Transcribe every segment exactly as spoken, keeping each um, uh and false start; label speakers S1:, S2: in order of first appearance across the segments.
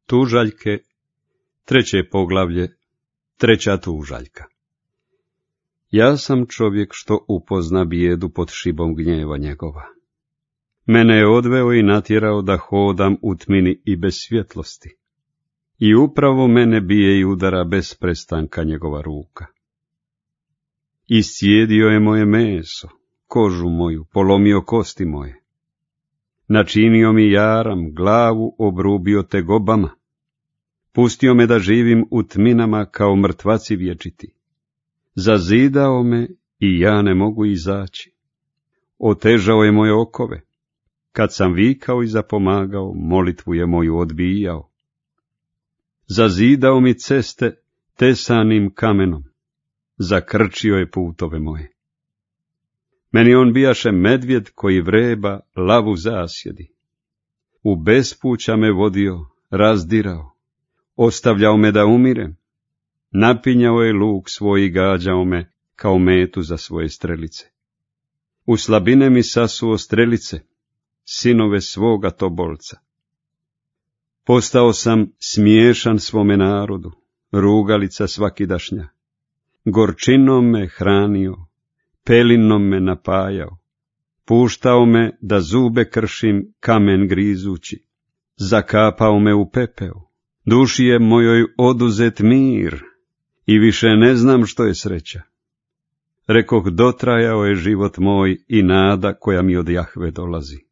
S1: Tužaljke, treće poglavlje, treća tužaljka. Ja sam čovjek što upozna bijedu pod šibom gnjeva njegova. Mene je odveo i natjerao da hodam u tmini i bez svjetlosti. I upravo mene bije i udara bez prestanka njegova ruka. Iscijedio je moje meso, kožu moju, polomio kosti moje. Načinio mi jaram, glavu obrubio tegobama. Pustio me da živim u tminama kao mrtvaci vječiti. Zazidao me i ja ne mogu izaći. Otežao je moje okove. Kad sam vikao i zapomagao, molitvu je moju odbijao. Zazidao mi ceste tesanim kamenom. Zakrčio je putove moje. Meni on bijaše medvjed koji vreba, lavu zasjedi. U bespuća me vodio, razdirao. Ostavljao me da umirem. Napinjao je luk svoj i gađao me kao metu za svoje strelice. U slabine mi sasuo strelice, sinove svoga tobolca. Postao sam smiješan svome narodu, rugalica svakidašnja. Gorčinom me hranio, pelinom me napajao. Puštao me da zube kršim, kamen grizući. Zakapao me u pepeo. Duši je mojoj oduzet mir i više ne znam što je sreća. Rekoh, dotrajao je život moj i nada koja mi od Jahve dolazi.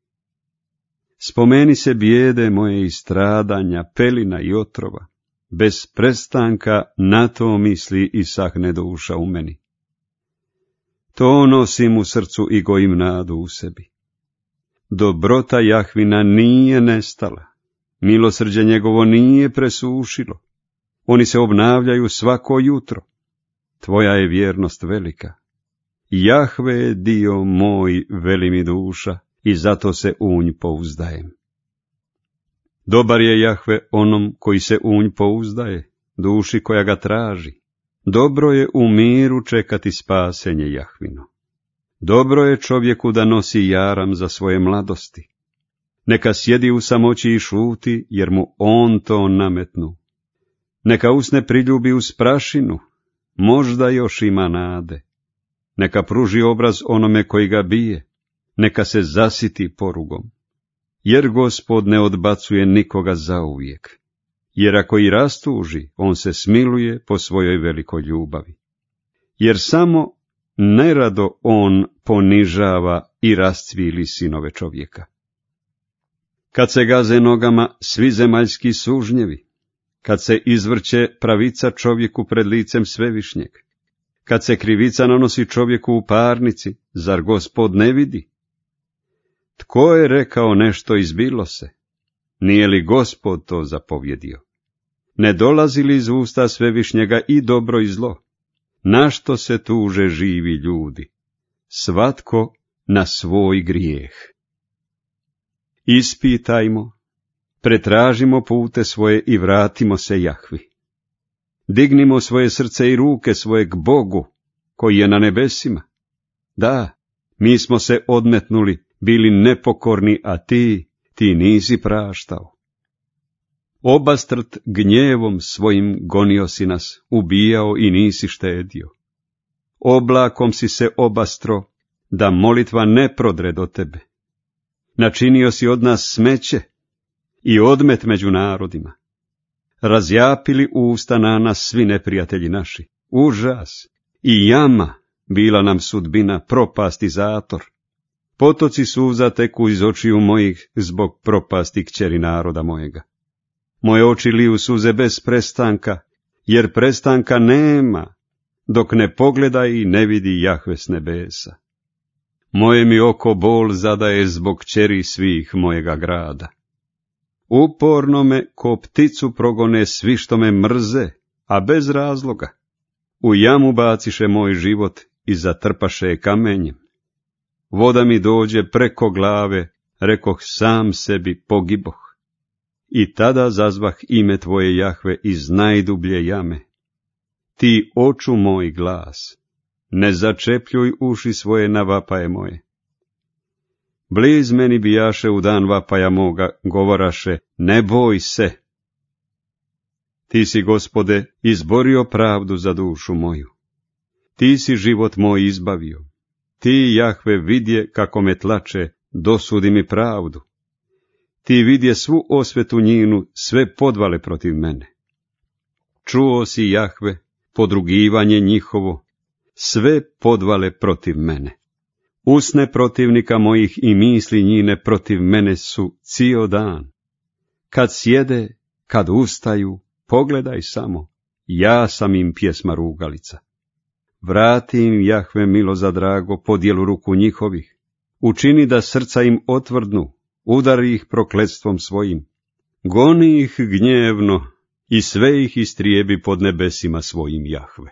S1: Spomeni se bijede moje i stradanja, pelina i otrova. Bez prestanka na to misli i sahne duša u meni. To nosim u srcu i gojim nadu u sebi. Dobrota Jahvina nije nestala. Milosrđe njegovo nije presušilo. Oni se obnavljaju svako jutro. Tvoja je vjernost velika. Jahve je dio moj, veli mi duša, i zato se u nj pouzdajem. Dobar je Jahve onom koji se u nj pouzdaje, duši koja ga traži. Dobro je u miru čekati spasenje Jahvino. Dobro je čovjeku da nosi jaram za svoje mladosti. Neka sjedi u samoći i šuti, jer mu on to nametnu. Neka usne priljubi uz prašinu, možda još ima nade. Neka pruži obraz onome koji ga bije, neka se zasiti porugom. Jer Gospod ne odbacuje nikoga zauvijek. Jer ako i rastuži, on se smiluje po svojoj velikoj ljubavi. Jer samo nerado on ponižava i rascvili sinove čovjeka. Kad se gaze nogama svi zemaljski sužnjevi, kad se izvrće pravica čovjeku pred licem svevišnjeg, kad se krivica nanosi čovjeku u parnici, zar Gospod ne vidi? Tko je rekao nešto izbilo se? Nije li Gospod to zapovjedio? Ne dolazi li iz usta svevišnjega i dobro i zlo? Na što se tuže živi ljudi? Svatko na svoj grijeh. Ispitajmo, pretražimo pute svoje i vratimo se Jahvi. Dignimo svoje srce i ruke svoje k Bogu, koji je na nebesima. Da, mi smo se odmetnuli, bili nepokorni, a ti, ti nisi praštao. Obastrt gnjevom svojim gonio si nas, ubijao i nisi štedio. Oblakom si se obastro, da molitva ne prodre do tebe. Načinio si od nas smeće i odmet među narodima. Razjapili usta na nas svi neprijatelji naši. Užas i jama bila nam sudbina, propast i zator. Potoci suza teku iz očiju mojih zbog propasti kćeri naroda mojega. Moje oči liju suze bez prestanka, jer prestanka nema, dok ne pogleda i ne vidi Jahve s nebesa. Moje mi oko bol zadaje zbog kćeri svih mojega grada. Uporno me ko pticu progone svi što me mrze, a bez razloga. U jamu baciše moj život i zatrpaše je kamenjem. Voda mi dođe preko glave, rekoh sam sebi pogiboh. I tada zazvah ime tvoje Jahve iz najdublje jame. Ti oču moj glas, ne začepljuj uši svoje na vapaje moje. Bliz meni bijaše u dan vapaja moga, govoraše, ne boj se. Ti si, Gospode, izborio pravdu za dušu moju. Ti si život moj izbavio. Ti, Jahve, vidje kako me tlače, dosudi mi pravdu. Ti vidje svu osvetu njinu, sve podvale protiv mene. Čuo si, Jahve, podrugivanje njihovo, sve podvale protiv mene. Usne protivnika mojih i misli njine protiv mene su cijel dan. Kad sjede, kad ustaju, pogledaj samo, ja sam im pjesma rugalica. Vrati im, Jahve, milo za drago, podjelu ruku njihovih. Učini da srca im otvrdnu, udari ih prokletstvom svojim. Goni ih gnjevno i sve ih istrijebi pod nebesima svojim, Jahve.